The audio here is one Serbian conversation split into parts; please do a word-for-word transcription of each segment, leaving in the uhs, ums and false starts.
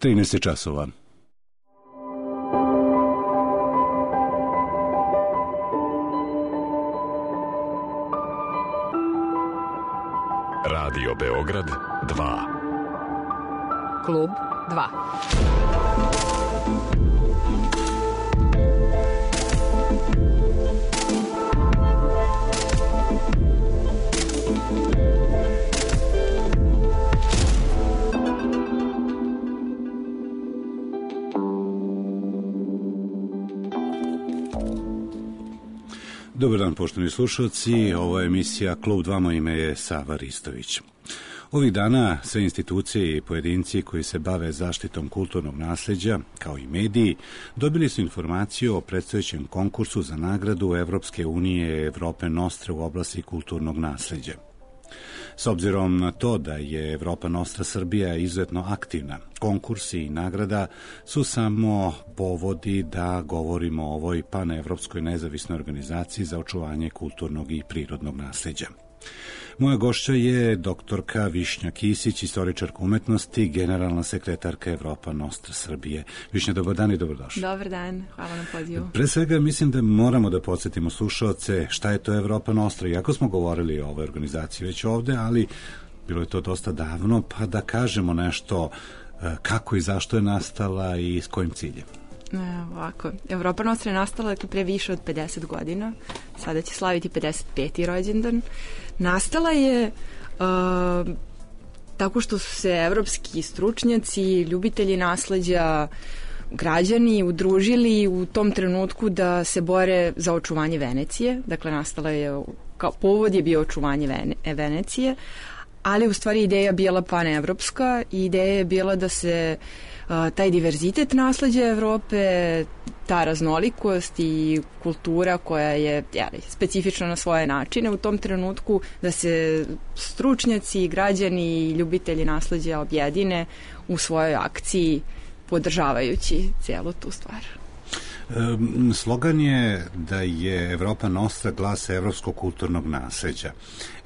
trinaest časova. Radio Beograd dva. Klub dva. Dobar dan, poštovani slušalci, ovo je emisija Klub dva, moje ime je Sava Ristović. Ovih dana sve institucije i pojedinci koji se bave zaštitom kulturnog nasleđa, kao i mediji, dobili su informaciju o predstojećem konkursu za nagradu Evropske unije Evrope Nostra u oblasti kulturnog nasleđa. S obzirom na to da je Evropa Nostra Srbija izuzetno aktivna, konkursi i nagrada su samo povodi da govorimo o ovoj panevropskoj nezavisnoj organizaciji za očuvanje kulturnog i prirodnog nasleđa. Moja gošća je doktorka Višnja Kisić, istoričarka umetnosti, generalna sekretarka Evropa Nostra Srbije. Višnja, dobar dan i dobrodošli. Dobar dan, hvala na pozivu. Pre svega mislim da moramo da podsjetimo slušaoce šta je to Evropa Nostra. Iako smo govorili o ovoj organizaciji već ovde, ali bilo je to dosta davno, pa da kažemo nešto kako i zašto je nastala i s kojim ciljem. Ovako, Evropa Nostra je nastala pre više od pedeset godina, sada će slaviti pedeset peti rođendan. Nastala je uh, tako što su se evropski stručnjaci, ljubitelji nasleđa, građani udružili u tom trenutku da se bore za očuvanje Venecije. Dakle, nastala je, kao povod je bio očuvanje Vene, Venecije, ali u stvari ideja bila panevropska i ideja je bila da se uh, taj diverzitet nasleđa Evrope, ta raznolikost i kultura koja je jeli, specifična na svoje načine u tom trenutku, da se stručnjaci, građani i ljubitelji nasleđa objedine u svojoj akciji podržavajući cijelu tu stvar. Slogan je da je Evropa Nostra glas evropskog kulturnog nasleđa.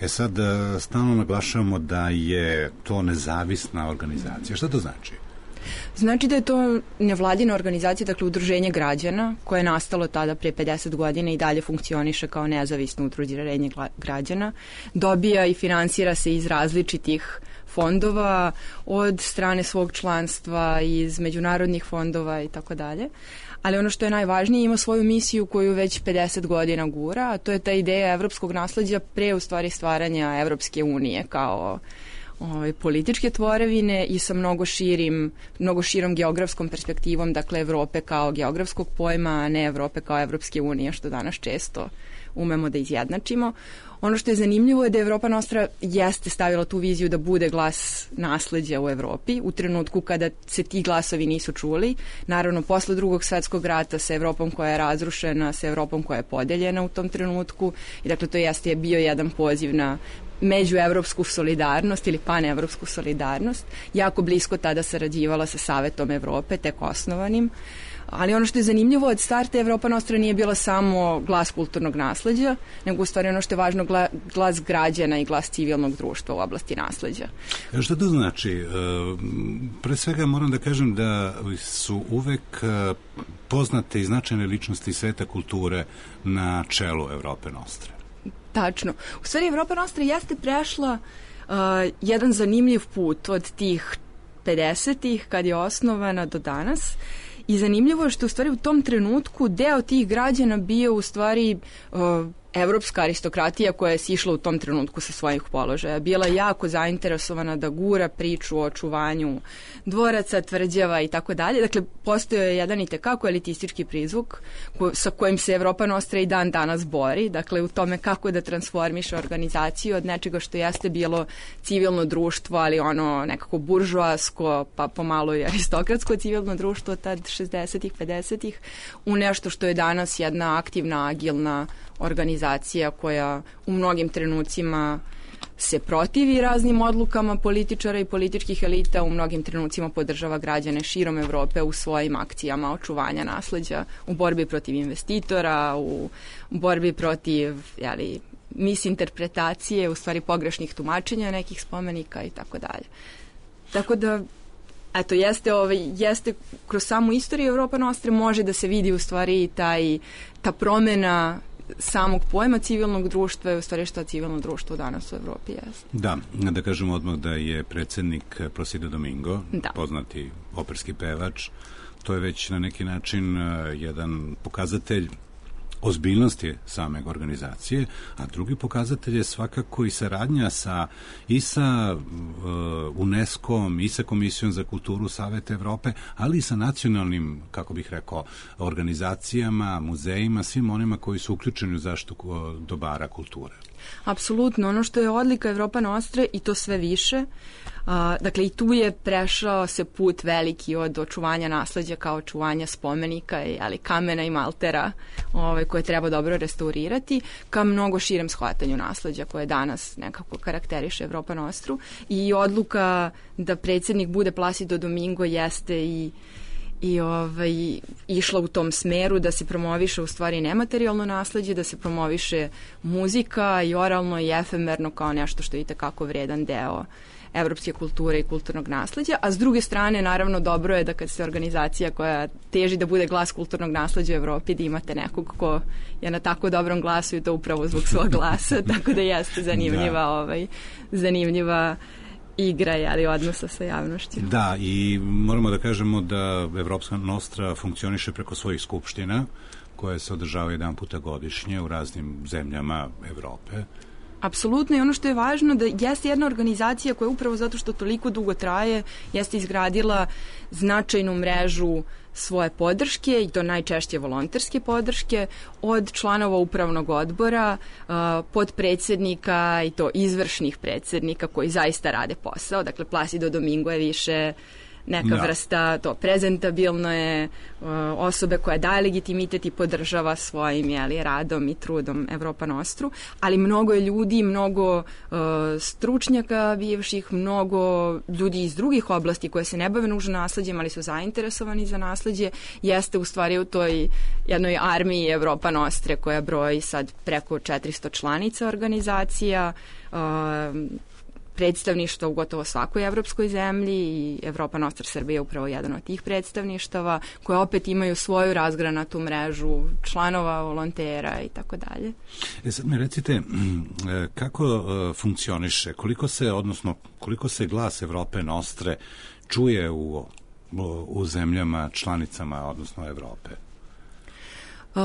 E sad, stalno naglašavamo da je to nezavisna organizacija. Šta to znači? Znači da je to nevladina organizacija, dakle udruženje građana, koje je nastalo tada prije pedeset godina i dalje funkcioniše kao nezavisno udruženje građana. Dobija i finansira se iz različitih fondova, od strane svog članstva, iz međunarodnih fondova i tako dalje. Ali ono što je najvažnije, ima svoju misiju koju već pedeset godina gura, a to je ta ideja evropskog nasleđa pre u stvari stvaranja Evropske unije kao ovaj, političke tvorevine i sa mnogo širim, mnogo širom geografskom perspektivom, dakle Evrope kao geografskog pojma, a ne Evrope kao Evropske unije, što danas često umemo da izjednačimo. Ono što je zanimljivo je da Evropa Nostra jeste stavila tu viziju da bude glas nasleđa u Evropi u trenutku kada se ti glasovi nisu čuli. Naravno, posle drugog svetskog rata sa Evropom koja je razrušena, sa Evropom koja je podeljena u tom trenutku i dakle to jeste je bio jedan poziv na međuevropsku solidarnost ili panevropsku solidarnost. Jako blisko tada sarađivala sa Savetom Evrope, tek osnovanim. Ali ono što je zanimljivo, od starta Evropa Nostra nije bila samo glas kulturnog nasleđa, nego u stvari ono što je važno glas građana i glas civilnog društva u oblasti nasleđa. Šta to znači? Pre svega moram da kažem da su uvek poznate i značajne ličnosti sveta kulture na čelu Evrope Nostre. Tačno. U stvari Evropa Nostra jeste prešla uh, jedan zanimljiv put od tih pedesetih kad je osnovana do danas. I zanimljivo je što u stvari u tom trenutku deo tih građana bio u stvari uh, evropska aristokratija koja je sišla u tom trenutku sa svojih položaja. Bila jako zainteresovana da gura priču o očuvanju dvoraca, tvrđava i tako dalje. Dakle, postojao je jedan i tekako elitistički prizvuk ko, sa kojim se Evropa Nostra i dan danas bori. Dakle, u tome kako da transformiše organizaciju od nečega što jeste bilo civilno društvo, ali ono nekako buržoasko, pa pomalo i aristokratsko civilno društvo tad šezdesetih, pedesetih u nešto što je danas jedna aktivna, agilna organizacija koja u mnogim trenucima se protivi raznim odlukama političara i političkih elita, u mnogim trenucima podržava građane širom Evrope u svojim akcijama očuvanja nasleđa, u borbi protiv investitora, u borbi protiv jeli, misinterpretacije, u stvari pogrešnih tumačenja nekih spomenika i tako dalje. Tako da Eto, jeste, ovaj, jeste kroz samu istoriju Evropa Nostre može da se vidi u stvari taj, ta promena samog pojma civilnog društva je u stvari šta civilno društvo danas u Evropi jeste. Da, da kažemo odmah da je predsednik Placido Domingo, da. Poznati operski pevač, to je već na neki način jedan pokazatelj ozbiljnosti same organizacije, a drugi pokazatelj je svakako i saradnja sa, i sa uh, UNESCO-om, i sa Komisijom za kulturu Saveta Evrope, ali i sa nacionalnim, kako bih rekao, organizacijama, muzejima, svim onima koji su uključeni u zaštitu dobara kulture. Apsolutno, ono što je odlika Evropa Nostre i to sve više, a, dakle i tu je prešao se put veliki od očuvanja nasleđa kao očuvanja spomenika, ali kamena i maltera ovaj, koje treba dobro restaurirati, ka mnogo širem shvatanju nasleđa koje danas nekako karakteriše Evropa Nostru i odluka da predsjednik bude Placido Domingo jeste i i ovaj, išla u tom smeru da se promoviše u stvari nematerijalno nasleđe, da se promoviše muzika i oralno i efemerno kao nešto što je itekako vredan deo evropske kulture i kulturnog nasleđa, a s druge strane naravno dobro je da kad se organizacija koja teži da bude glas kulturnog nasleđa u Evropi, da imate nekog ko je na tako dobrom glasu i to upravo zbog svog glasa, tako da jeste zanimljiva, da. ovaj, zanimljiva igra, ali odnosa sa javnošću. Da, i moramo da kažemo da Evropska Nostra funkcioniše preko svojih skupština, koje se održavaju jedan puta godišnje u raznim zemljama Evrope. Apsolutno, i ono što je važno da jeste jedna organizacija koja upravo zato što toliko dugo traje, jeste izgradila značajnu mrežu svoje podrške i to najčešće volonterske podrške od članova upravnog odbora, podpredsednika i to izvršnih predsednika koji zaista rade posao. Dakle, Placido Domingo je više neka da. vrsta, to prezentabilno je uh, osobe koja daje legitimitet i podržava svojim jeli, radom i trudom Evropa Nostru, ali mnogo je ljudi, mnogo uh, stručnjaka bivših, mnogo ljudi iz drugih oblasti koje se ne bave nužno nasleđem, ali su zainteresovani za nasleđe, jeste u stvari u toj jednoj armiji Evropa Nostre koja broji sad preko četiristo članica organizacija, uh, predstavništva u gotovo svakoj evropskoj zemlji i Evropa Nostra Srbija je upravo jedan od tih predstavništava koje opet imaju svoju razgranatu mrežu članova, volontera i tako dalje. E sad mi recite kako funkcioniše, koliko se, odnosno koliko se glas Evrope Nostre čuje u, u zemljama članicama, odnosno Evrope? Uh,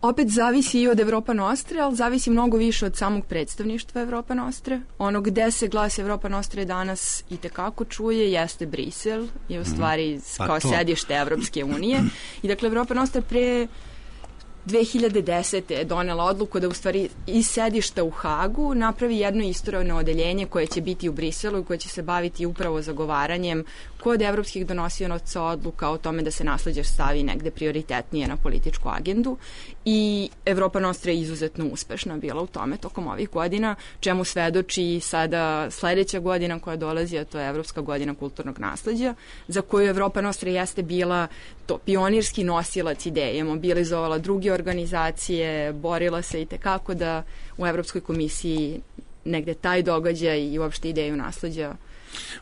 Opet zavisi i od Evropa Nostre, ali zavisi mnogo više od samog predstavništva Evropa Nostre. Ono gde se glas Evropa Nostre danas i tekako čuje jeste Brisel, je u stvari pa kao to. Sedište Evropske unije. I dakle, Evropa Nostra pre dve hiljade desete je donela odluku da u stvari iz sedišta u Hagu napravi jedno istorijno odeljenje koje će biti u Briselu i koje će se baviti upravo zagovaranjem kod evropskih donosionaca odluka o tome da se nasleđe stavi negde prioritetnije na političku agendu i Evropa Nostra je izuzetno uspešna bila u tome tokom ovih godina, čemu svedoči sada sledeća godina koja dolazi, a to je Evropska godina kulturnog nasleđa, za koju Evropa Nostra jeste bila to pionirski nosilac ideje, mobilizovala druge organizacije, borila se i tekako da u Evropskoj komisiji negde taj događaj i uopšte ideju nasleđa.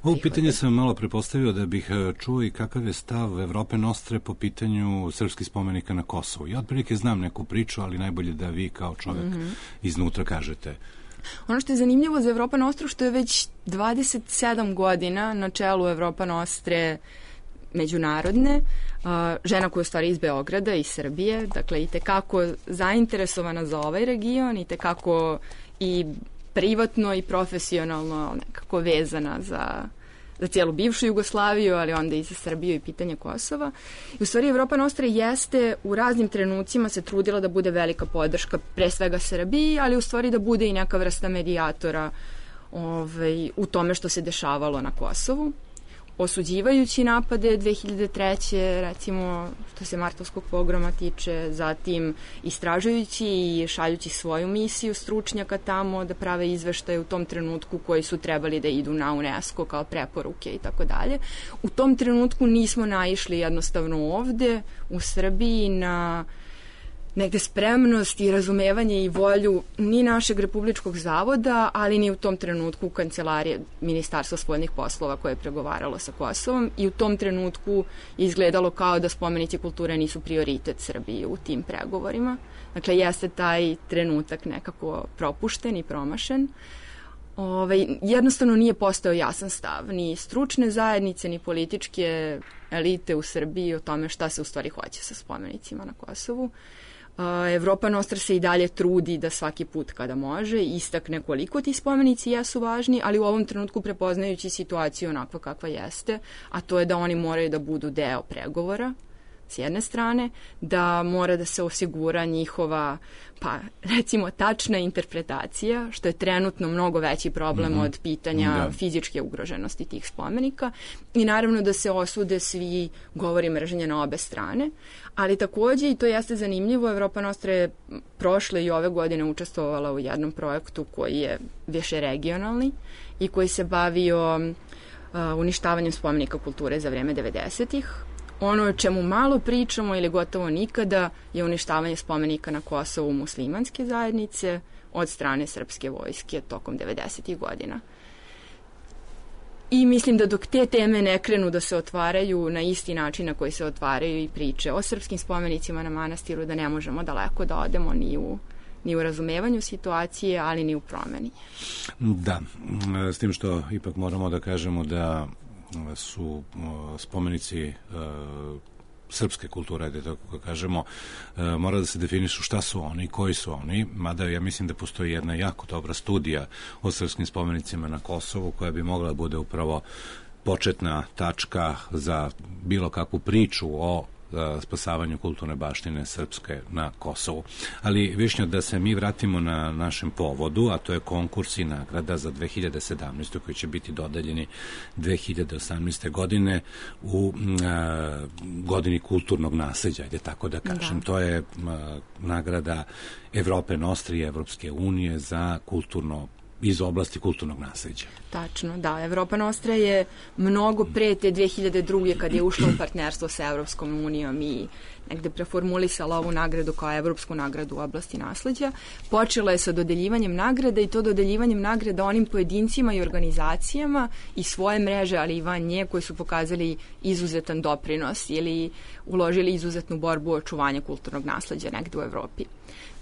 Ovo pitanje sam malo prepostavio da bih čuo i kakav je stav Evrope Nostre po pitanju srpskih spomenika na Kosovu. Ja otprilike znam neku priču, ali najbolje da vi kao čovjek mm-hmm. iznutra kažete. Ono što je zanimljivo za Evropa Nostru što je već dvadeset sedam godina na čelu Evropa Nostre međunarodne, uh, žena koja je u stvari iz Beograda i Srbije, dakle i tekako zainteresovana za ovaj region i tekako i privatno i profesionalno nekako vezana za, za cijelu bivšu Jugoslaviju, ali onda i za Srbiju i pitanje Kosova. I u stvari Evropa Nostra jeste u raznim trenucima se trudila da bude velika podrška pre svega Srbiji, ali u stvari da bude i neka vrsta medijatora ovaj, u tome što se dešavalo na Kosovu. Osuđivajući napade dve hiljade treće recimo što se martovskog pogroma tiče, zatim istražujući i šaljući svoju misiju stručnjaka tamo da prave izveštaje u tom trenutku koji su trebali da idu na UNESCO kao preporuke i tako dalje. U tom trenutku nismo naišli jednostavno ovde u Srbiji na negde spremnost i razumevanje i volju ni našeg Republičkog zavoda, ali ni u tom trenutku kancelarije Ministarstva spoljnih poslova koje je pregovaralo sa Kosovom, i u tom trenutku je izgledalo kao da spomenici kulture nisu prioritet Srbije u tim pregovorima. Dakle, jeste taj trenutak nekako propušten i promašen. Ovaj, jednostavno nije postao jasan stav ni stručne zajednice, ni političke elite u Srbiji o tome šta se u stvari hoće sa spomenicima na Kosovu. Evropa Nostra se i dalje trudi da svaki put kada može istakne koliko ti spomenici jesu važni, ali u ovom trenutku prepoznajući situaciju onakva kakva jeste, a to je da oni moraju da budu deo pregovora s jedne strane, da mora da se osigura njihova, pa recimo, tačna interpretacija, što je trenutno mnogo veći problem mm-hmm. od pitanja da. fizičke ugroženosti tih spomenika, i naravno da se osude svi govori mržnje na obe strane, ali takođe, i to jeste zanimljivo, Evropa Nostra je prošle i ove godine učestvovala u jednom projektu koji je više regionalni i koji se bavio uh, uništavanjem spomenika kulture za vreme devedesetih. Ono o čemu malo pričamo ili gotovo nikada je uništavanje spomenika na Kosovu muslimanske zajednice od strane srpske vojske tokom devedesetih godina. I mislim da dok te teme ne krenu da se otvaraju na isti način na koji se otvaraju i priče o srpskim spomenicima na manastiru, da ne možemo daleko da odemo ni u ni u razumevanju situacije, ali ni u promeni. Da, s tim što ipak moramo da kažemo da su spomenici uh, srpske kulture, da tako kažemo, uh, mora da se definišu šta su oni, koji su oni, mada ja mislim da postoji jedna jako dobra studija o srpskim spomenicima na Kosovu koja bi mogla da bude upravo početna tačka za bilo kakvu priču o spasavanju kulturne baštine srpske na Kosovu. Ali, Višnja, da se mi vratimo na našem povodu, a to je konkurs i nagrada za dve hiljade sedamnaestu koji će biti dodeljeni dve hiljade osamnaeste. godine u a, godini kulturnog nasleđa, ajde tako da kažem. Da. To je a, nagrada Evrope Nostra i Evropske unije za kulturno iz oblasti kulturnog nasleđa. Tačno, da. Evropa Nostra je mnogo pre te dve hiljade druge. kad je ušla u partnerstvo sa Evropskom unijom i negde preformulisala ovu nagradu kao Evropsku nagradu u oblasti nasleđa. Počela je sa dodeljivanjem nagrada i to dodeljivanjem nagrada onim pojedincima i organizacijama i svoje mreže, ali i van nje, koji su pokazali izuzetan doprinos ili uložili izuzetnu borbu o očuvanju kulturnog nasleđa negde u Evropi.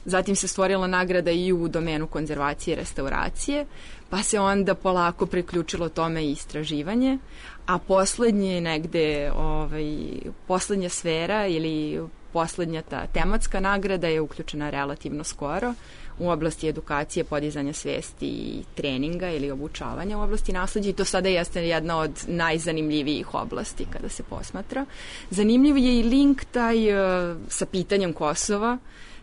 Zatim se stvorila nagrada i u domenu konzervacije i restauracije, pa se onda polako priključilo tome i istraživanje, a poslednje negde, ovaj, poslednja sfera ili poslednja ta tematska nagrada je uključena relativno skoro u oblasti edukacije, podizanja svesti i treninga ili obučavanja u oblasti nasleđa, i to sada jeste jedna od najzanimljivijih oblasti kada se posmatra. Zanimljiv je i link taj uh, sa pitanjem Kosova.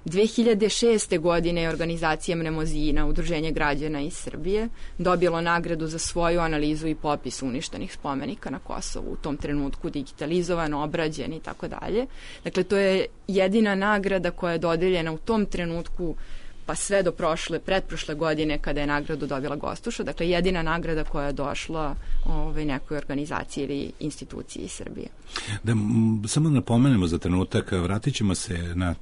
dve hiljade šeste. godine je organizacija Mnemozina, udruženje građana iz Srbije, dobilo nagradu za svoju analizu i popis uništenih spomenika na Kosovu, u tom trenutku digitalizovan, obrađen i tako dalje. Dakle, to je jedina nagrada koja je dodeljena u tom trenutku, pa sve do prošle, pretprošle godine kada je nagradu dobila Gostuša. Dakle, jedina nagrada koja je došla ovaj, nekoj organizaciji ili instituciji iz Srbije. Da, m, samo napomenemo za trenutak, vratit ćemo se na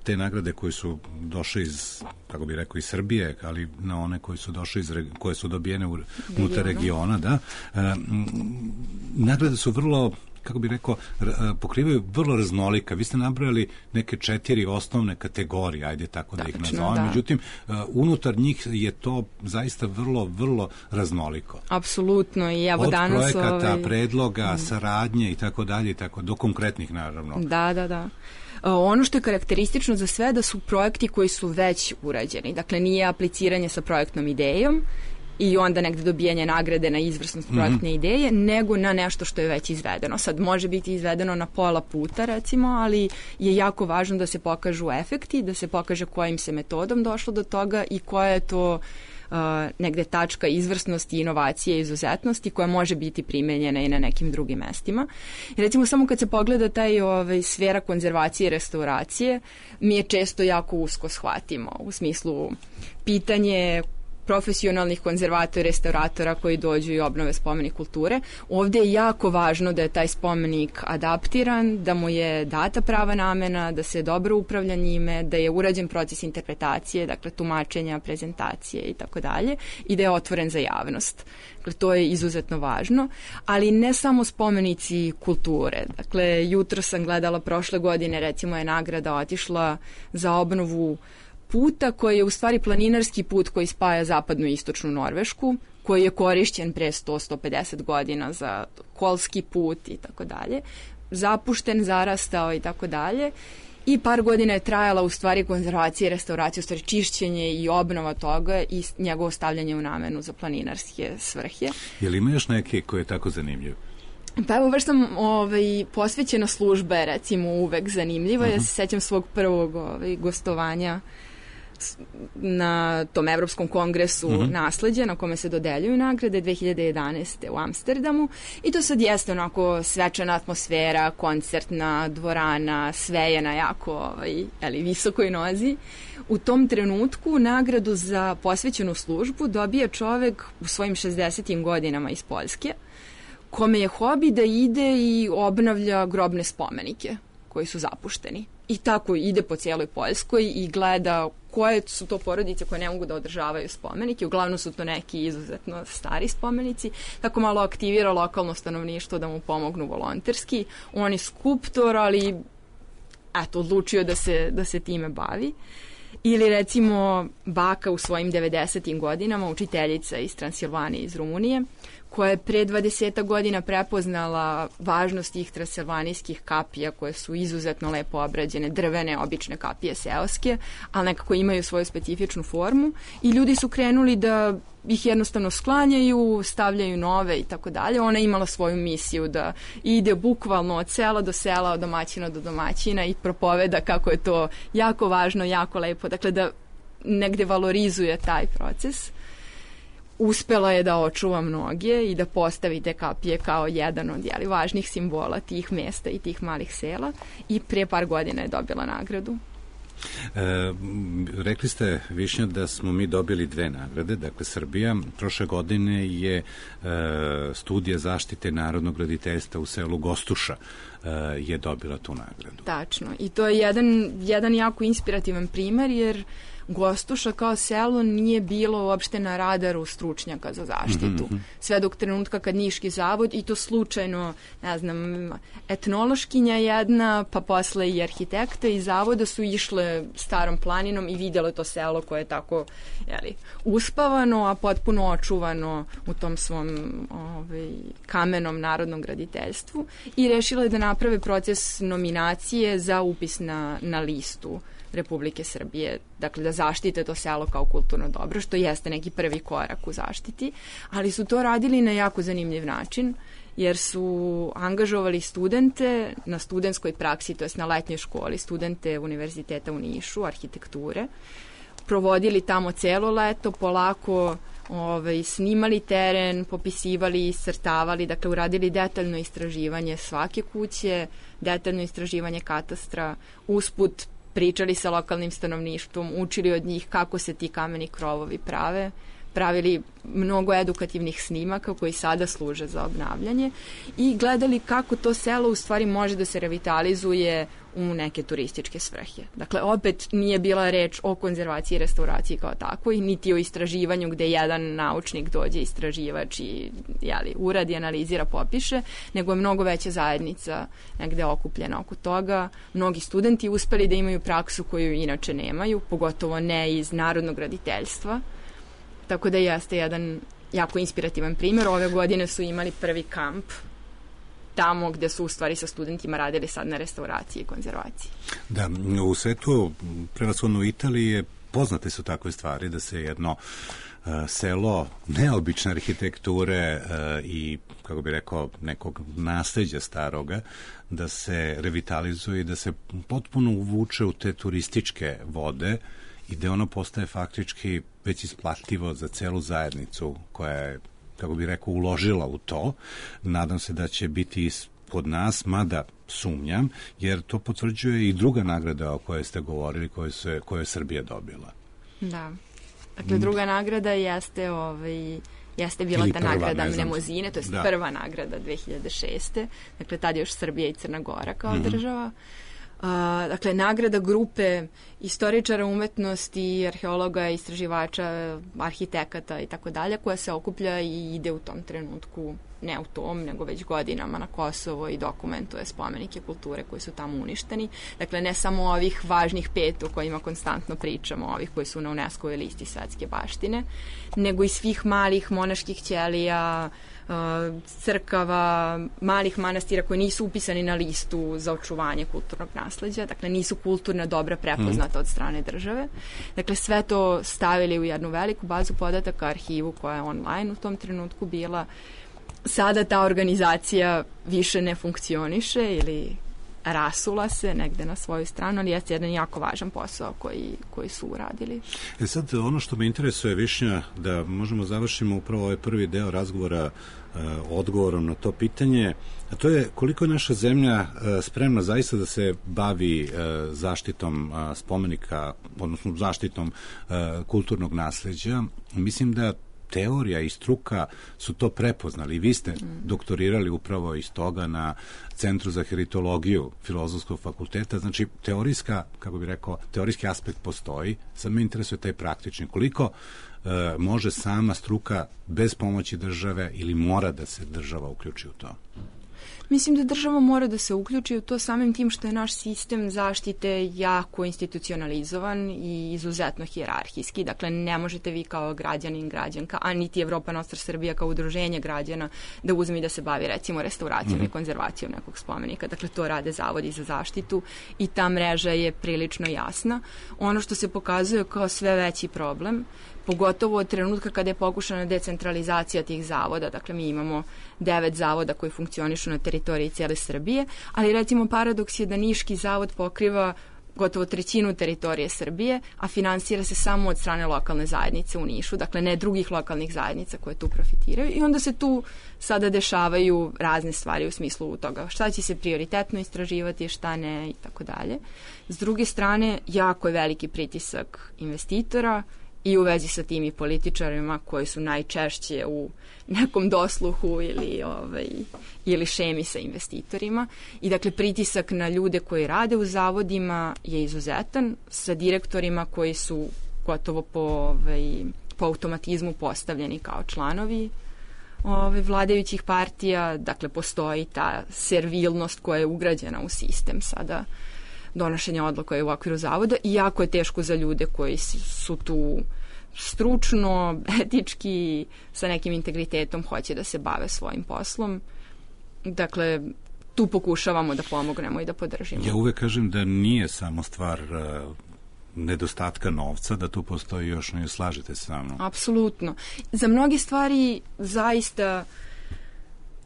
te nagrade koje su došle iz, kako bih rekao, iz Srbije, ali na one koje su došle iz, koje su dobijene u, unutar regiona, da. E, m, nagrade su vrlo, kako bih rekao, pokrivaju vrlo raznolika. Vi ste nabrojali neke četiri osnovne kategorije, ajde tako da, da ih nazovem. Da. Međutim, unutar njih je to zaista vrlo, vrlo raznoliko. Apsolutno. I evo od danas... Od projekata, ovaj... predloga, mm. saradnje i tako dalje, i tako, do konkretnih, naravno. Da, da, da. Ono što je karakteristično za sve da su projekti koji su već urađeni. Dakle, nije apliciranje sa projektnom idejom i onda negde dobijanje nagrade na izvrsnost projektne mm-hmm. ideje, nego na nešto što je već izvedeno. Sad može biti izvedeno na pola puta, recimo, ali je jako važno da se pokažu efekti, da se pokaže kojim se metodom došlo do toga i koja je to uh, negde tačka izvrsnosti, inovacije, izuzetnosti koja može biti primenjena i na nekim drugim mestima. I recimo samo kad se pogleda taj ovaj, sfera konzervacije i restauracije, mi je često jako usko shvatimo u smislu pitanje profesionalnih konzervatora i restauratora koji dođu i obnove spomenik kulture. Ovde je jako važno da je taj spomenik adaptiran, da mu je data prava namena, da se dobro upravlja njime, da je urađen proces interpretacije, dakle tumačenja, prezentacije i tako dalje, i da je otvoren za javnost. Dakle, to je izuzetno važno, ali ne samo spomenici kulture. Dakle, jutro sam gledala prošle godine, recimo je nagrada otišla za obnovu puta koji je u stvari planinarski put koji spaja zapadnu i istočnu Norvešku, koji je korišćen pre sto do sto pedeset godina za kolski put i tako dalje, zapušten, zarastao i tako dalje. I par godina je trajala u stvari konzervacija i restauracija, u stvari čišćenje i obnova toga i njegovo stavljanje u namenu za planinarske svrhe. Je li ima još neke koje je tako zanimljiv? Pa evo, baš sam ovaj, posvećena službe, recimo, uvek zanimljiva. Uh-huh. Ja se sećam svog prvog ovaj, gostovanja na tom Evropskom kongresu uh-huh. nasleđa, na kome se dodeljuju nagrade dve hiljade jedanaeste. u Amsterdamu. I to sad jeste onako svečana atmosfera, koncertna dvorana, sve je na jako ovaj, ali, visokoj nozi. U tom trenutku nagradu za posvećenu službu dobija čovek u svojim šezdesetim godinama iz Poljske, kome je hobi da ide i obnavlja grobne spomenike koji su zapušteni. I tako ide po cijeloj Poljskoj i gleda koje su to porodice koje ne mogu da održavaju spomenike. Uglavnom su to neki izuzetno stari spomenici. Tako malo aktivira lokalno stanovništvo da mu pomognu volonterski. On je skulptor, ali eto, odlučio da se, da se time bavi. Ili recimo baka u svojim devedesetim godinama, učiteljica iz Transilvanije, iz Rumunije, koja je pre dvadeset godina prepoznala važnost tih transilvanijskih kapija koje su izuzetno lepo obrađene, drvene, obične kapije seoske, ali nekako imaju svoju specifičnu formu i ljudi su krenuli da ih jednostavno sklanjaju, stavljaju nove i tako dalje. Ona je imala svoju misiju da ide bukvalno od sela do sela, od domaćina do domaćina i propoveda kako je to jako važno, jako lepo. Dakle, da negde valorizuje taj proces. Uspela je da očuva mnoge i da postavi te kapije kao jedan od jeli, važnih simbola tih mesta i tih malih sela i pre par godina je dobila nagradu. E, rekli ste, Višnja, da smo mi dobili dve nagrade. Dakle, Srbija prošle godine je e, studija zaštite narodnog graditeljstva u selu Gostuša e, je dobila tu nagradu. Tačno. I to je jedan, jedan jako inspirativan primer, jer Gostuša kao selo nije bilo uopšte na radaru stručnjaka za zaštitu. Mm-hmm. Sve dok trenutka kad Niški zavod, i to slučajno, ne znam, etnološkinja jedna, pa posle i arhitekta iz zavoda su išle starom planinom i vidjelo to selo koje je tako jeli, uspavano, a potpuno očuvano u tom svom ovaj, kamenom narodnom graditeljstvu i rešile da naprave proces nominacije za upis na, na listu Republike Srbije, dakle da zaštite to selo kao kulturno dobro, što jeste neki prvi korak u zaštiti, ali su to radili na jako zanimljiv način, jer su angažovali studente na studentskoj praksi, to jest na letnjoj školi, studente Univerziteta u Nišu, arhitekture, provodili tamo celo leto, polako ovaj, snimali teren, popisivali, iscrtavali, dakle uradili detaljno istraživanje svake kuće, detaljno istraživanje katastra, usput pričali sa lokalnim stanovništvom, učili od njih kako se ti kameni krovovi prave, pravili mnogo edukativnih snimaka koji sada služe za obnavljanje i gledali kako to selo u stvari može da se revitalizuje u neke turističke svrhe. Dakle, opet nije bila reč o konzervaciji i restauraciji kao takvoj, niti o istraživanju gde jedan naučnik dođe, istraživač i jeli, uradi, analizira, popiše, nego je mnogo veća zajednica negde okupljena oko toga. Mnogi studenti uspeli da imaju praksu koju inače nemaju, pogotovo ne iz narodnog graditeljstva. Tako da jeste jedan jako inspirativan primjer. Ove godine su imali prvi kamp tamo gde su u stvari sa studentima radili sad na restauraciji i konzervaciji. Da, u svetu, prevashodno u Italiji, je poznate su takve stvari da se jedno uh, selo neobične arhitekture uh, i, kako bi rekao, nekog nasleđa staroga, da se revitalizuje i da se potpuno uvuče u te turističke vode i da ono postaje faktički već isplativo za celu zajednicu koja je, kako bi rekao, uložila u to. Nadam se da će biti kod nas, mada sumnjam, jer to potvrđuje i druga nagrada o kojoj ste govorili, koju, se, koju je Srbija dobila. Da. Dakle, druga nagrada jeste, ovaj, jeste bila Ili ta prva, nagrada ne znam. Mnemozine, to je Da. prva nagrada dve hiljade šeste. Dakle, tad je još Srbija i Crna Gora kao Mhm. država. A, dakle, nagrada grupe istoričara umetnosti, arheologa, istraživača, arhitekata i tako dalje, koja se okuplja i ide u tom trenutku, ne u tom, nego već godinama na Kosovo i dokumentuje spomenike kulture koji su tamo uništeni. Dakle, ne samo ovih važnih pet o kojima konstantno pričamo, ovih koji su na UNESCO-ovoj listi svetske baštine, nego i svih malih monaških ćelija, crkava, malih manastira koji nisu upisani na listu za očuvanje kulturnog nasleđa, dakle nisu kulturna dobra prepoznata od strane države. Dakle, sve to stavili u jednu veliku bazu podataka, arhivu koja je online u tom trenutku bila. Sada ta organizacija više ne funkcioniše ili rasula se negde na svoju stranu, ali jeste jedan jako važan posao koji, koji su uradili. E sad, ono što me interesuje, Višnja, da možemo završimo upravo ovaj prvi deo razgovora uh, odgovorom na to pitanje, a to je koliko je naša zemlja uh, spremna zaista da se bavi uh, zaštitom uh, spomenika, odnosno zaštitom uh, kulturnog nasleđa. Mislim da teorija i struka su to prepoznali. Vi ste doktorirali upravo iz toga na Centru za heritologiju Filozofskog fakulteta. Znači, teorijska, kako bih rekao, teorijski aspekt postoji. Sad me interesuje taj praktični. Koliko e, može sama struka bez pomoći države ili mora da se država uključi u to? Mislim da država mora da se uključi u to samim tim što je naš sistem zaštite jako institucionalizovan i izuzetno hijerarhijski. Dakle, ne možete vi kao građanin, građanka, a niti Evropa Nostra Srbija kao udruženje građana da uzme i da se bavi recimo restauracijom mm-hmm. i konzervacijom nekog spomenika. Dakle, to rade zavodi za zaštitu i ta mreža je prilično jasna. Ono što se pokazuje kao sve veći problem, pogotovo od trenutka kada je pokušana decentralizacija tih zavoda. Dakle, mi imamo devet zavoda koji funkcionišu na teritoriji cijele Srbije, ali recimo paradoks je da Niški zavod pokriva gotovo trećinu teritorije Srbije, a finansira se samo od strane lokalne zajednice u Nišu, dakle ne drugih lokalnih zajednica koje tu profitiraju i onda se tu sada dešavaju razne stvari u smislu toga šta će se prioritetno istraživati, šta ne i tako dalje. S druge strane, jako je veliki pritisak investitora i u vezi sa tim i političarima koji su najčešće u nekom dosluhu ili, ovaj, ili šemi sa investitorima. I dakle, pritisak na ljude koji rade u zavodima je izuzetan, sa direktorima koji su gotovo po, ovaj, po automatizmu postavljeni kao članovi ovaj, vladajućih partija. Dakle, postoji ta servilnost koja je ugrađena u sistem sada donošenja odluka je u okviru zavoda i jako je teško za ljude koji su tu stručno, etički, sa nekim integritetom hoće da se bave svojim poslom. Dakle, tu pokušavamo da pomognemo i da podržimo. Ja uvek kažem da nije samo stvar uh, nedostatka novca, da tu postoji još, ne slažete se sa mnom? Apsolutno. Za mnoge stvari zaista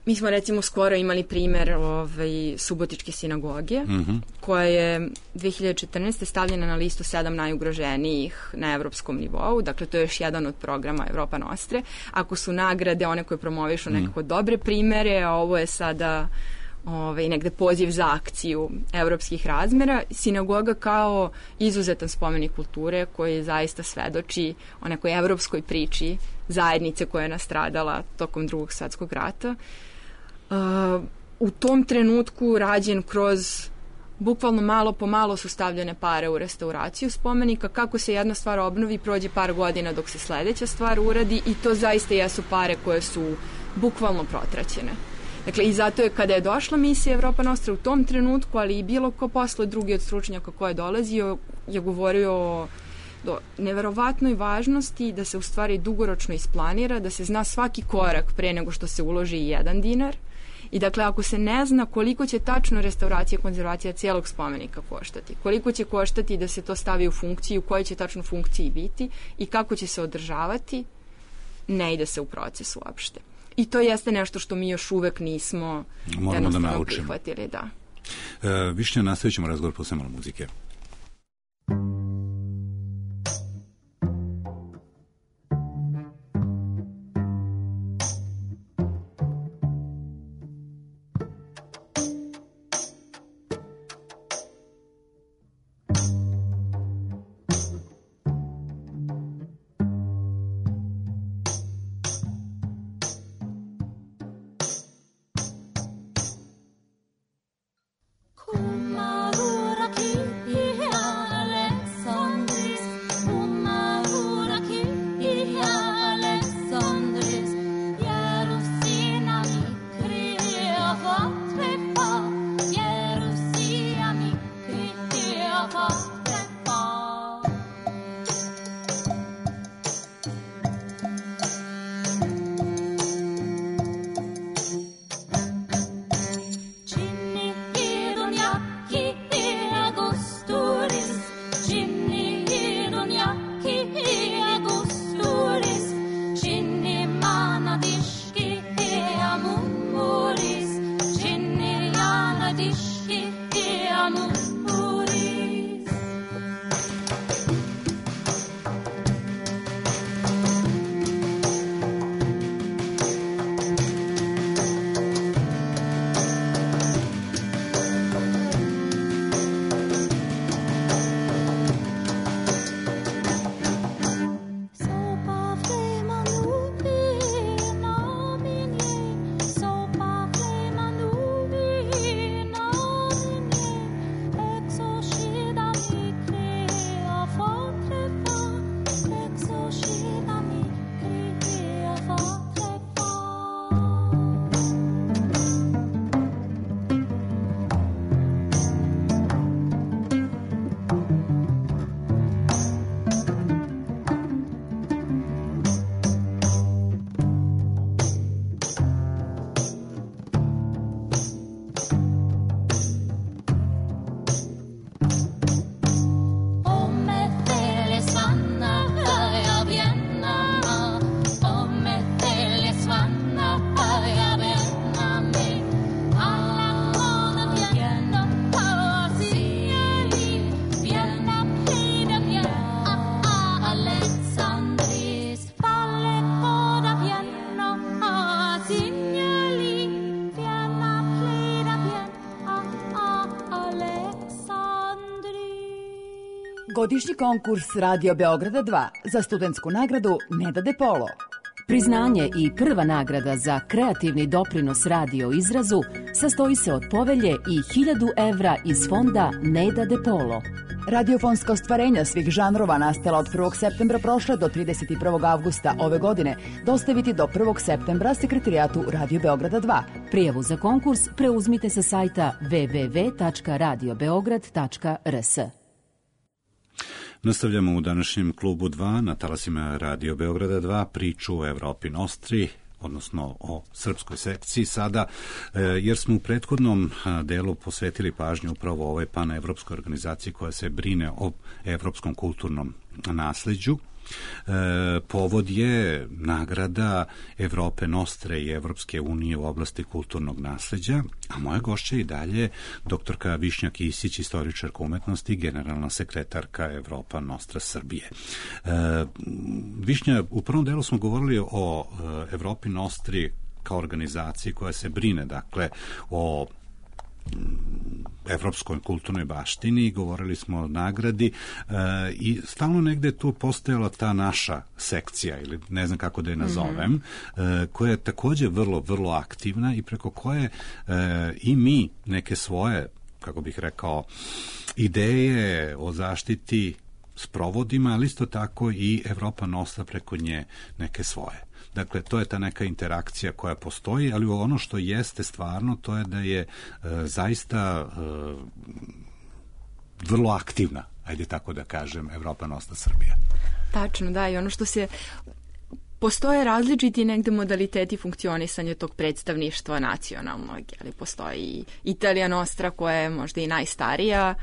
mi smo recimo skoro imali primer ovaj, Subotičke sinagoge, mm-hmm. koja je dve hiljade četrnaeste. stavljena na listu sedam najugroženijih na evropskom nivou. Dakle, to je još jedan od programa Evropa Nostre. Ako su nagrade one koje promovišu mm. nekako dobre primere, a ovo je sada ovaj, negde poziv za akciju evropskih razmera, sinagoga kao izuzetan spomenik kulture koji zaista svedoči o nekoj evropskoj priči zajednice koja je nastradala tokom Drugog svetskog rata. Uh, u tom trenutku rađen kroz bukvalno malo po malo su stavljene pare u restauraciju spomenika. Kako se jedna stvar obnovi, prođe par godina dok se sledeća stvar uradi i to zaista jesu pare koje su bukvalno protraćene. Dakle, i zato je kada je došla misija Evropa Nostra u tom trenutku, ali i bilo ko posle drugi od stručnjaka ko je dolazio, je govorio o do neverovatnoj važnosti da se u stvari dugoročno isplanira, da se zna svaki korak pre nego što se uloži i jedan dinar. I dakle, ako se ne zna koliko će tačno restauracija i konzervacija cijelog spomenika koštati, koliko će koštati da se to stavi u funkciju, u kojoj će tačno funkciji biti i kako će se održavati, ne ide se u proces uopšte. I to jeste nešto što mi još uvek nismo Moramo da naučimo. Prihvatili, da. E, Višnja, nastavit ćemo razgovor posle malo muzike. Godišnji konkurs Radio Beograda dva za studentsku nagradu Neda De Polo. Priznanje i prva nagrada za kreativni doprinos radio izrazu sastoji se od povelje i hiljadu evra iz fonda Neda De Polo. Radiofonska ostvarenja svih žanrova nastala od prvog septembra prošle do trideset prvog avgusta ove godine dostaviti do prvog septembra sekretarijatu Radio Beograda dva. Prijavu za konkurs preuzmite sa sajta w w w tačka radio beograd tačka r s. Nastavljamo u današnjem klubu dva na talasima Radio Beograda dva priču o Evropi Nostri, odnosno o srpskoj sekciji sada, jer smo u prethodnom delu posvetili pažnju upravo ovoj panevropskoj organizaciji koja se brine o evropskom kulturnom nasleđu. E, povod je nagrada Evrope Nostre i Evropske unije u oblasti kulturnog nasleđa, a moja gošća i dalje doktorka Višnja Kisić, istoričarka umetnosti, generalna sekretarka Evropa Nostra Srbije. E, Višnja, u prvom delu smo govorili o e, Evropi Nostri kao organizaciji koja se brine, dakle, o evropskoj kulturnoj baštini, govorili smo o nagradi e, i stalno negde tu postojala ta naša sekcija, ili ne znam kako da je nazovem, mm-hmm. e, koja je takođe vrlo, vrlo aktivna i preko koje e, i mi neke svoje, kako bih rekao, ideje o zaštiti sprovodima, ali isto tako i Evropa Nostra preko nje neke svoje. Dakle, to je ta neka interakcija koja postoji, ali ono što jeste stvarno, to je da je e, zaista e, vrlo aktivna, ajde tako da kažem, Evropa Nostra Srbija. Tačno, da, i ono što se... Postoje različiti negde modaliteti funkcionisanja tog predstavništva nacionalnog, ali postoji Italija Nostra koja je možda i najstarija,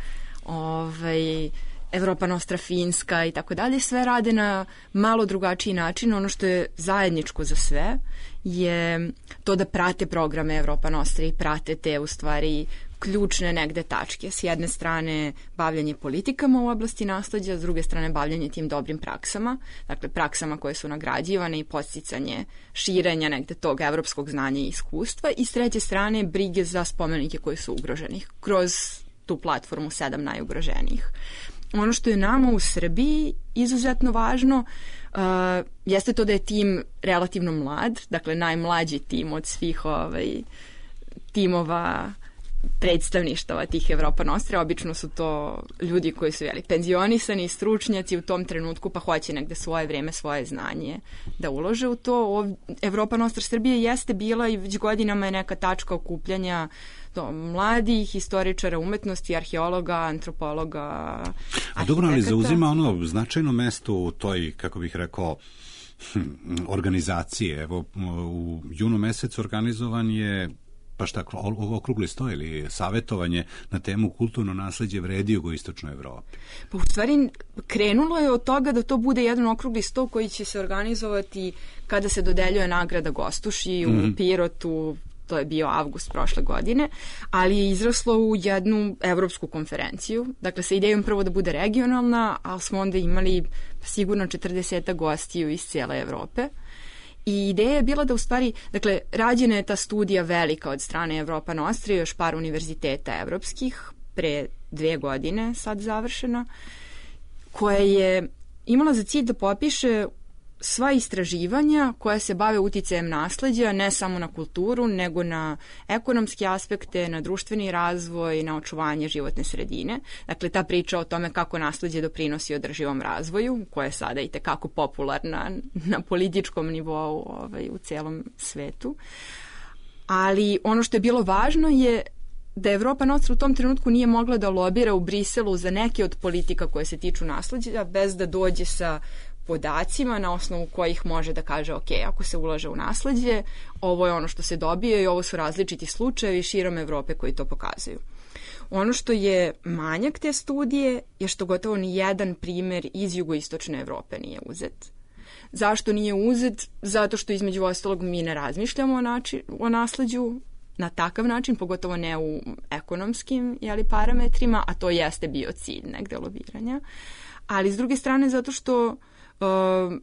ovaj... Evropa Nostra Finska i tako dalje, sve rade na malo drugačiji način. Ono što je zajedničko za sve je to da prate programe Evropa Nostra i prate te u stvari ključne negde tačke. S jedne strane bavljanje politikama u oblasti nasleđa, s druge strane bavljanje tim dobrim praksama, dakle praksama koje su nagrađivane i podsticanje širenja negde tog evropskog znanja i iskustva, i s treće strane brige za spomenike koji su ugroženi kroz tu platformu sedam najugroženijih. Ono što je nama u Srbiji izuzetno važno uh, jeste to da je tim relativno mlad, dakle najmlađi tim od svih ovaj, timova predstavništava tih Evropa Nostra. Obično su to ljudi koji su jeli, penzionisani, stručnjaci u tom trenutku, pa hoće negde svoje vreme, svoje znanje da ulože u to. Evropa Nostra Srbije jeste bila i već godinama je neka tačka okupljanja do mladih historičara umetnosti, arheologa, antropologa, a dobro, ali zauzima ono značajno mesto u toj, kako bih rekao, organizacije. Evo, u junu mesecu organizovan je pa šta, okrugli sto ili savjetovanje na temu kulturno nasleđe vredi jugoistočnoj Evropi. Pa u stvari krenulo je od toga da to bude jedan okrugli sto koji će se organizovati kada se dodeljuje nagrada Gostuši mm-hmm. u Pirotu to je bio avgust prošle godine, ali je izraslo u jednu evropsku konferenciju, dakle sa idejom prvo da bude regionalna, ali smo onda imali sigurno četrdeset gostiju iz cijele Evrope. I ideja je bila da u stvari, dakle, rađena je ta studija velika od strane Evropa Nostra i još par univerziteta evropskih, pre dve godine sad završena, koja je imala za cilj da popiše sva istraživanja koja se bave uticajem nasleđa, ne samo na kulturu, nego na ekonomske aspekte, na društveni razvoj, na očuvanje životne sredine. Dakle, ta priča o tome kako nasleđe doprinosi održivom razvoju, koja je sada i tekako popularna na političkom nivou ovaj, u celom svetu. Ali ono što je bilo važno je da Evropa Nostra u tom trenutku nije mogla da lobira u Briselu za neke od politika koje se tiču nasleđa, bez da dođe sa podacima na osnovu kojih može da kaže ok, ako se ulaže u nasleđe, ovo je ono što se dobije i ovo su različiti slučajevi širom Evrope koji to pokazuju. Ono što je manjak te studije je što gotovo ni jedan primer iz jugoistočne Evrope nije uzet. Zašto nije uzet? Zato što između ostalog mi ne razmišljamo o, način, o nasleđu na takav način, pogotovo ne u ekonomskim jeli, parametrima, a to jeste bio cilj negde lobiranja. Ali s druge strane zato što Uh,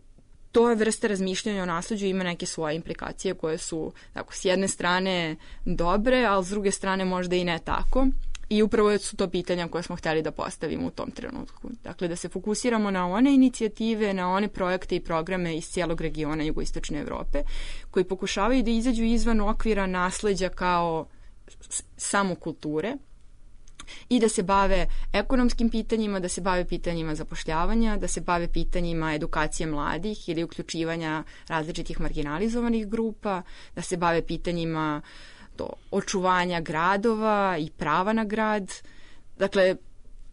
to je vrsta razmišljanja o nasleđu ima neke svoje implikacije koje su tako, s jedne strane dobre, ali s druge strane možda i ne tako. I upravo su to pitanja koje smo hteli da postavimo u tom trenutku. Dakle, da se fokusiramo na one inicijative, na one projekte i programe iz cijelog regiona jugoistočne Evrope koji pokušavaju da izađu izvan okvira nasleđa kao samo kulture i da se bave ekonomskim pitanjima, da se bave pitanjima zapošljavanja, da se bave pitanjima edukacije mladih ili uključivanja različitih marginalizovanih grupa, da se bave pitanjima do očuvanja gradova i prava na grad, dakle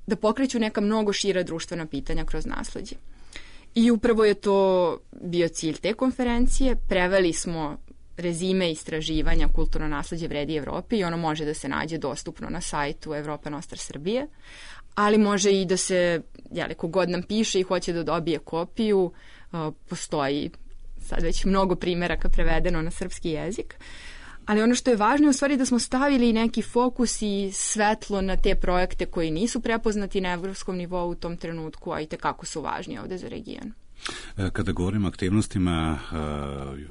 da pokreću neka mnogo šira društvena pitanja kroz nasleđe. I upravo je to bio cilj te konferencije. Preveli smo rezime istraživanja kulturno nasleđe vredi Evropi i ono može da se nađe dostupno na sajtu Evropa Nostra Srbije, ali može i da se, jeli, kogod nam piše i hoće da dobije kopiju, postoji sad već mnogo primjeraka prevedeno na srpski jezik. Ali ono što je važno je u stvari da smo stavili neki fokus i svetlo na te projekte koji nisu prepoznati na evropskom nivou u tom trenutku, a i tekako su važni ovde za region. Kada govorimo o aktivnostima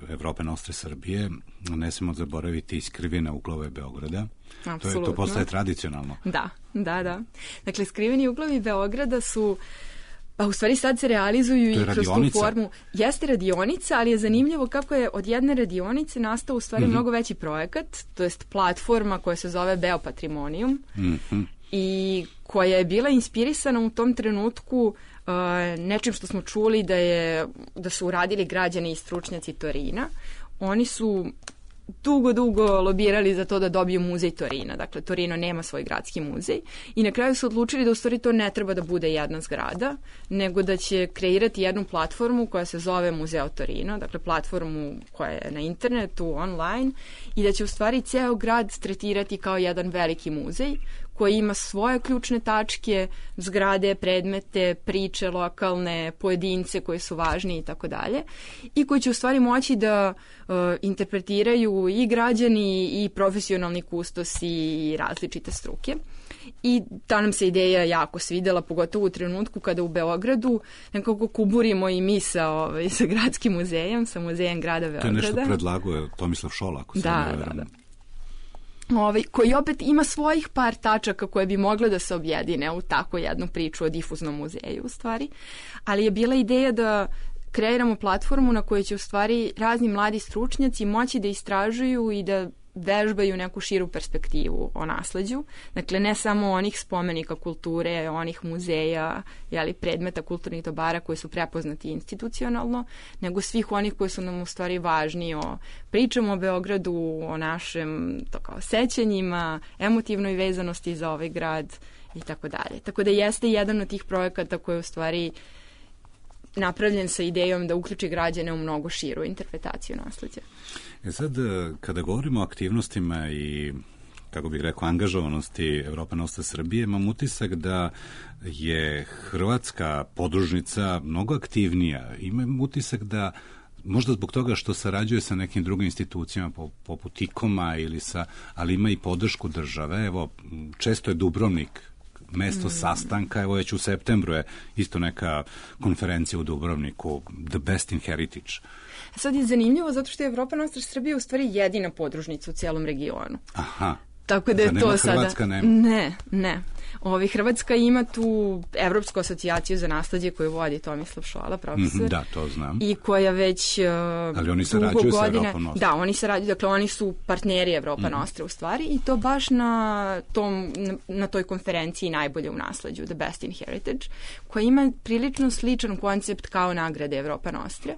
Evrope Nostre Srbije, ne smemo zaboraviti iskrivene uglove Beograda. To, je, to postaje tradicionalno. Da, da, da. Dakle, skriveni uglovi Beograda su, pa u stvari sad se realizuju i kroz tu formu. Jeste radionica, ali je zanimljivo kako je od jedne radionice nastao u stvari mm-hmm. mnogo veći projekat, to jest platforma koja se zove Beopatrimonium mm-hmm. i koja je bila inspirisana u tom trenutku Uh, nečim što smo čuli da, je, da su uradili građani i stručnjaci Torina. Oni su dugo, dugo lobirali za to da dobiju muzej Torina. Dakle, Torino nema svoj gradski muzej i na kraju su odlučili da u stvari to ne treba da bude jedna zgrada, nego da će kreirati jednu platformu koja se zove Muzeo Torino, dakle platformu koja je na internetu, online, i da će u stvari ceo grad tretirati kao jedan veliki muzej koji ima svoje ključne tačke, zgrade, predmete, priče lokalne, pojedince koji su važni i tako dalje, i koji će u stvari moći da uh, interpretiraju i građani i profesionalni kustosi i različite struke. I ta nam se ideja jako svidela, pogotovo u trenutku kada u Beogradu nekako kuburimo i mi sa, ovaj, sa gradskim muzejom, sa muzejem grada Beograda. To je nešto predlagao Tomislav Šola, ako se da, ne da, da. Ovaj, koji opet ima svojih par tačaka koje bi mogle da se objedine u tako jednu priču o difuznom muzeju u stvari, ali je bila ideja da kreiramo platformu na kojoj će u stvari razni mladi stručnjaci moći da istražuju i da vežbaju neku širu perspektivu o nasleđu. Dakle, ne samo onih spomenika kulture, onih muzeja, jeli, predmeta kulturnih dobara koji su prepoznati institucionalno, nego svih onih koji su nam u stvari važni o pričamo o Beogradu, o našem to kao sećanjima, emotivnoj vezanosti za ovaj grad i tako dalje. Tako da jeste jedan od tih projekata koji u stvari napravljen sa idejom da uključi građane u mnogo širu interpretaciju nasleđa. E sad, kada govorimo o aktivnostima i, kako bih rekao, angažovanosti Evropa Nostra Srbije, imam utisak da je hrvatska podružnica mnogo aktivnija. Imam utisak da možda zbog toga što sarađuje sa nekim drugim institucijama poput IKOM-a ili sa, ali ima i podršku države. Evo, često je Dubrovnik mesto mm. sastanka, evo već u septembru je isto neka konferencija u Dubrovniku, The Best in Heritage. Sad je zanimljivo zato što je Evropa Nostra Srbija u stvari jedina podružnica u cijelom regionu. Aha. Tako da je da to nema sada... Hrvatska nema? Ne, ne. Ovi, Hrvatska ima tu Evropsku asocijaciju za nasleđe koju vodi Tomislav Šola, profesor. Mm, da, to znam. I koja već uh, ali oni dugo sarađuju sa godine... Evropom Nostra. Da, oni sarađuju, dakle oni su partneri Evropa mm. Nostra u stvari i to baš na, tom, na, na toj konferenciji najbolje u nasleđu, The Best in Heritage, koja ima prilično sličan koncept kao nagrade Evropa Nostra,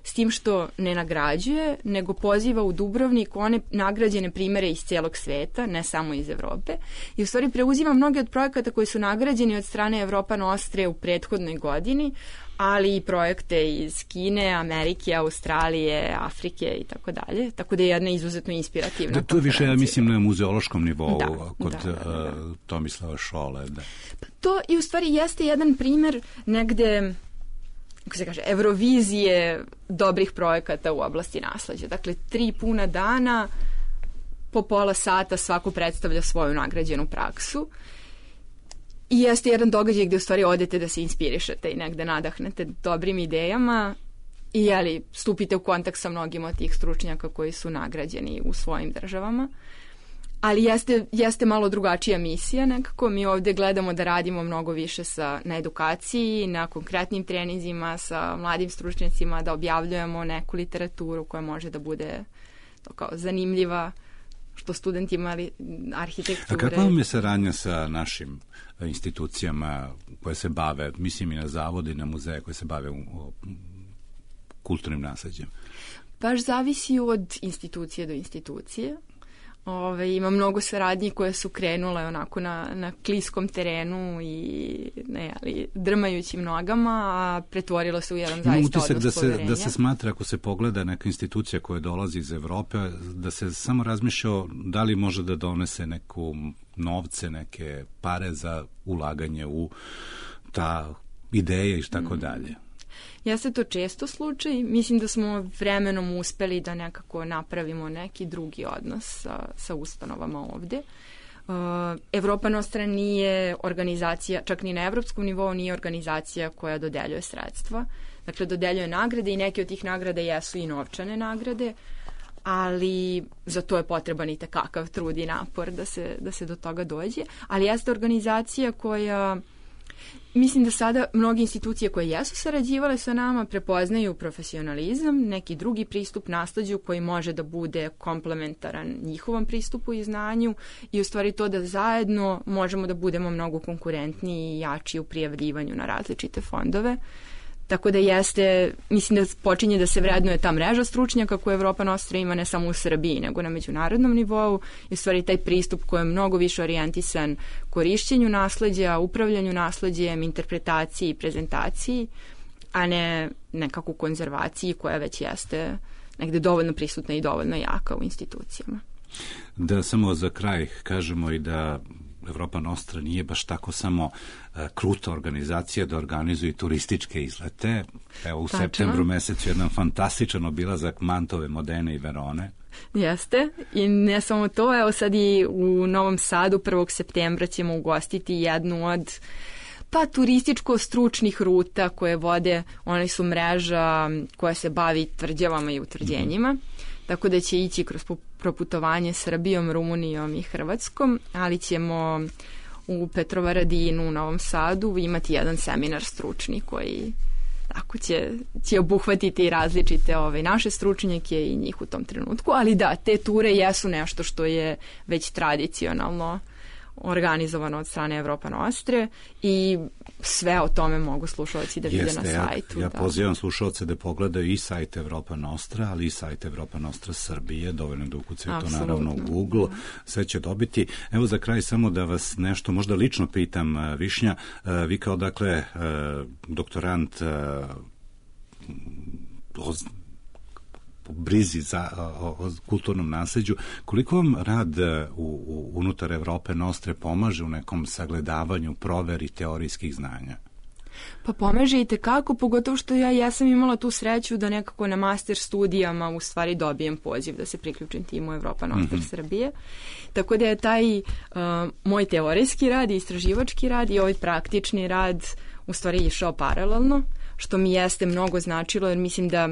s tim što ne nagrađuje, nego poziva u Dubrovnik one nagrađene primere iz cijelog sveta, ne samo iz Evrope, i u stvari preuzima mnoge od projekata koji su nagrađeni od strane Evropa Nostre u prethodnoj godini, ali i projekte iz Kine, Amerike, Australije, Afrike i tako dalje. Tako da je jedna izuzetno inspirativna. Da, to je više, ja mislim, na muzeološkom nivou da, kod da, da, da. Uh, Tomislava Šole. Da. To i u stvari jeste jedan primer negde, kako se kaže, Eurovizije dobrih projekata u oblasti nasleđa. Dakle, tri puna dana, po pola sata svako predstavlja svoju nagrađenu praksu. I jeste jedan događaj gde u stvari odete da se inspirišete i negde nadahnete dobrim idejama i jeli, stupite u kontakt sa mnogim od tih stručnjaka koji su nagrađeni u svojim državama. Ali jeste, jeste malo drugačija misija nekako. Mi ovde gledamo da radimo mnogo više sa, na edukaciji, na konkretnim treninzima, sa mladim stručnjacima, da objavljujemo neku literaturu koja može da bude to kao zanimljiva, što studentima arhitekture. A kakva vam je saradnja sa našim institucijama koje se bave, mislim i na zavode i na muzeje koje se bave u, u, kulturnim nasleđem? Baš zavisi od institucije do institucije. Ove, ima mnogo saradnji koje su krenule onako na, na kliskom terenu i ne, ali, drmajućim nogama, a pretvorilo se u jedan ima zaista utisak odnos da poverenja. se, da se smatra, ako se pogleda neka institucija koja dolazi iz Evrope, da se samo razmišlja da li može da donese neku novce, neke pare za ulaganje u ta ideje i tako mm. dalje. Jeste to često slučaj. Mislim da smo vremenom uspeli da nekako napravimo neki drugi odnos sa, sa ustanovama ovde. Uh, Evropa Nostra nije organizacija, čak ni na evropskom nivou nije organizacija koja dodeljuje sredstva. Dakle, dodeljuje nagrade i neke od tih nagrada jesu i novčane nagrade, ali za to je potreban i tekakav trud i napor da se, da se do toga dođe. Ali jeste organizacija koja... Mislim da sada mnoge institucije koje jesu sarađivale sa nama prepoznaju profesionalizam, neki drugi pristup nasleđu koji može da bude komplementaran njihovom pristupu i znanju i u stvari to da zajedno možemo da budemo mnogo konkurentniji i jači u prijavljivanju na različite fondove. Tako da jeste, mislim da počinje da se vrednuje ta mreža stručnjaka koju Evropa Nostra ima ne samo u Srbiji, nego na međunarodnom nivou i u stvari taj pristup koji je mnogo više orijentisan korišćenju nasleđa, upravljanju nasleđem, interpretaciji i prezentaciji, a ne nekako konzervaciji koja već jeste negde dovoljno prisutna i dovoljno jaka u institucijama. Da samo za kraj kažemo i da Evropa Nostra nije baš tako samo uh, kruta organizacija da organizuje turističke izlete. Evo u Tačno. septembru mesecu jedan fantastičan obilazak Mantove, Modene i Verone. Jeste. I ne samo to, evo sad i u Novom Sadu prvog septembra ćemo ugostiti jednu od pa turističko-stručnih ruta koje vode, one su mreža koja se bavi tvrđavama i utvrđenjima. Mm-hmm. Tako da će ići kroz proputovanje Srbijom, Rumunijom i Hrvatskom, ali ćemo u Petrovaradinu, u Novom Sadu imati jedan seminar stručni koji tako će, će obuhvatiti različite ove naše stručnjake i njih u tom trenutku, ali da, te ture jesu nešto što je već tradicionalno organizovano od strane Evropa Nostre i sve o tome mogu slušalci da vide na sajtu. Ja, ja da. pozivam slušalce da pogledaju i sajt Evropa Nostra, ali i sajt Evropa Nostra Srbije, dovoljno da ukucaju to naravno u Google, sve će dobiti. Evo za kraj samo da vas nešto možda lično pitam, Višnja, vi kao dakle doktorant po brizi za, o, o kulturnom nasleđu, koliko vam rad u, u, unutar Evrope Nostre pomaže u nekom sagledavanju, proveri teorijskih znanja? Pa pomaže i tekako, pogotovo što ja jesam imala tu sreću da nekako na master studijama u stvari dobijem poziv da se priključim timu Evropa Nostra mm-hmm. Srbije. Tako da je taj uh, moj teorijski rad i istraživački rad i ovaj praktični rad u stvari išao paralelno, što mi jeste mnogo značilo, jer mislim da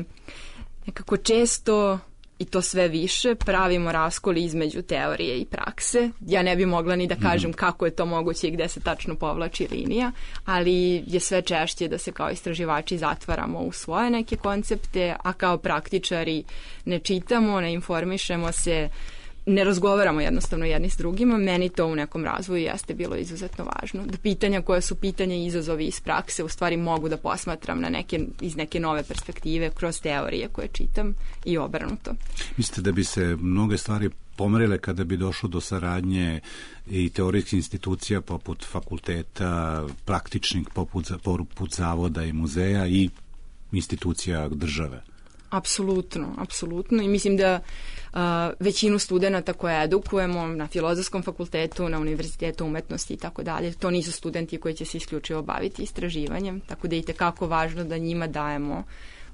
nekako često i to sve više pravimo raskoli između teorije i prakse. Ja ne bi mogla ni da kažem mm. kako je to moguće i gde se tačno povlači linija, ali je sve češće da se kao istraživači zatvaramo u svoje neke koncepte, a kao praktičari ne čitamo, ne informišemo se, ne razgovaramo jednostavno jedni s drugima. Meni to u nekom razvoju jeste bilo izuzetno važno. Da pitanja koja su pitanja i izazovi iz prakse u stvari mogu da posmatram na neke, iz neke nove perspektive kroz teorije koje čitam i obrnuto. Mislite da bi se mnoge stvari pomerile kada bi došlo do saradnje i teorijskih institucija poput fakulteta, praktičnih poput, poput zavoda i muzeja i institucija države? Apsolutno, apsolutno. I mislim da uh, većinu studenata koje edukujemo na Filozofskom fakultetu, na Univerzitetu umetnosti i tako dalje, to nisu studenti koji će se isključivo baviti istraživanjem, tako da je i tekako važno da njima dajemo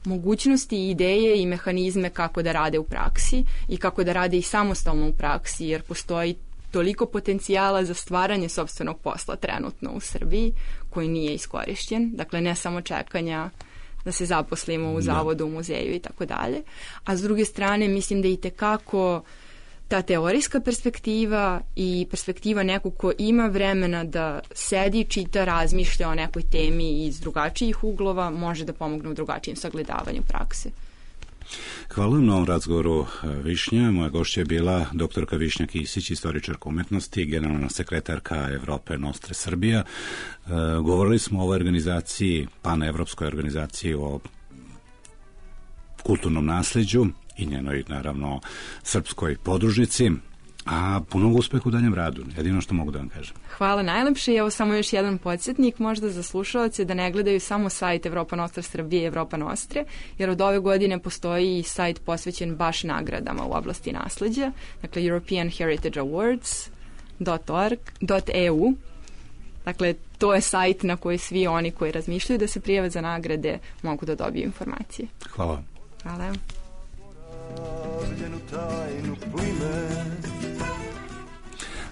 mogućnosti, ideje i mehanizme kako da rade u praksi i kako da rade i samostalno u praksi, jer postoji toliko potencijala za stvaranje sopstvenog posla trenutno u Srbiji koji nije iskorišćen. Dakle, ne samo čekanja da se zaposlimo u zavodu, u muzeju i tako dalje. A s druge strane, mislim da i tekako ta teorijska perspektiva i perspektiva nekog ko ima vremena da sedi, čita, razmišlja o nekoj temi iz drugačijih uglova, može da pomogne u drugačijem sagledavanju prakse. Hvala vam na ovom razgovoru, Višnja. Moja gošća je bila doktorka Višnja Kisić, istoričarka umetnosti, generalna sekretarka Evrope Nostre Srbija. E, govorili smo o ovoj organizaciji, panevropskoj organizaciji o kulturnom nasleđu i njenoj, naravno, srpskoj podružnici, a punog uspeha u daljem radu. Jedino što mogu da vam kažem. Hvala najlepše. Evo samo još jedan podsjetnik, možda za slušalce da ne gledaju samo sajt Evropa Nostra Srbije i Evropa Nostre, jer od ove godine postoji i sajt posvećen baš nagradama u oblasti nasleđa, dakle European Heritage Awards dot org dot e u. Dakle, to je sajt na koji svi oni koji razmišljaju da se prijave za nagrade mogu da dobiju informacije. Hvala. Hvala.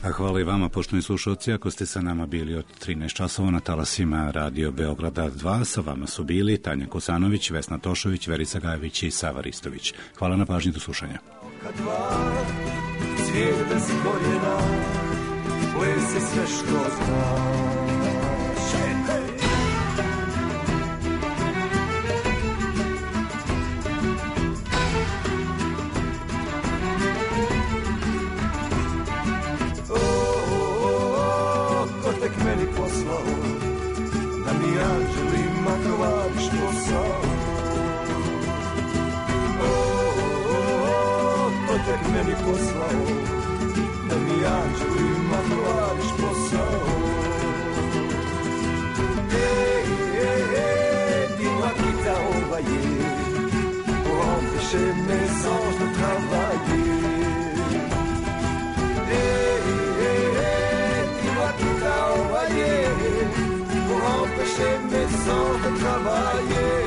A hvala i vama, poštovani slušalci, ako ste sa nama bili od trinaest časova na talasima Radio Beograda dva, sa vama su bili Tanja Kosanović, Vesna Tošović, Verica Gajević i Sava Ristović. Hvala na pažnji, do slušanja. Cvijet bez korijena, plese sve što znaš. Meni poslao da mi anđelima tovariš posao. O, o, o, ko tek meni poslao da mi anđelima tovariš posao. Ej, ej, ej, dis-moi qui t'a envoyé pour empêcher mes anges de travailler. Pour empêcher mes anges de travailler.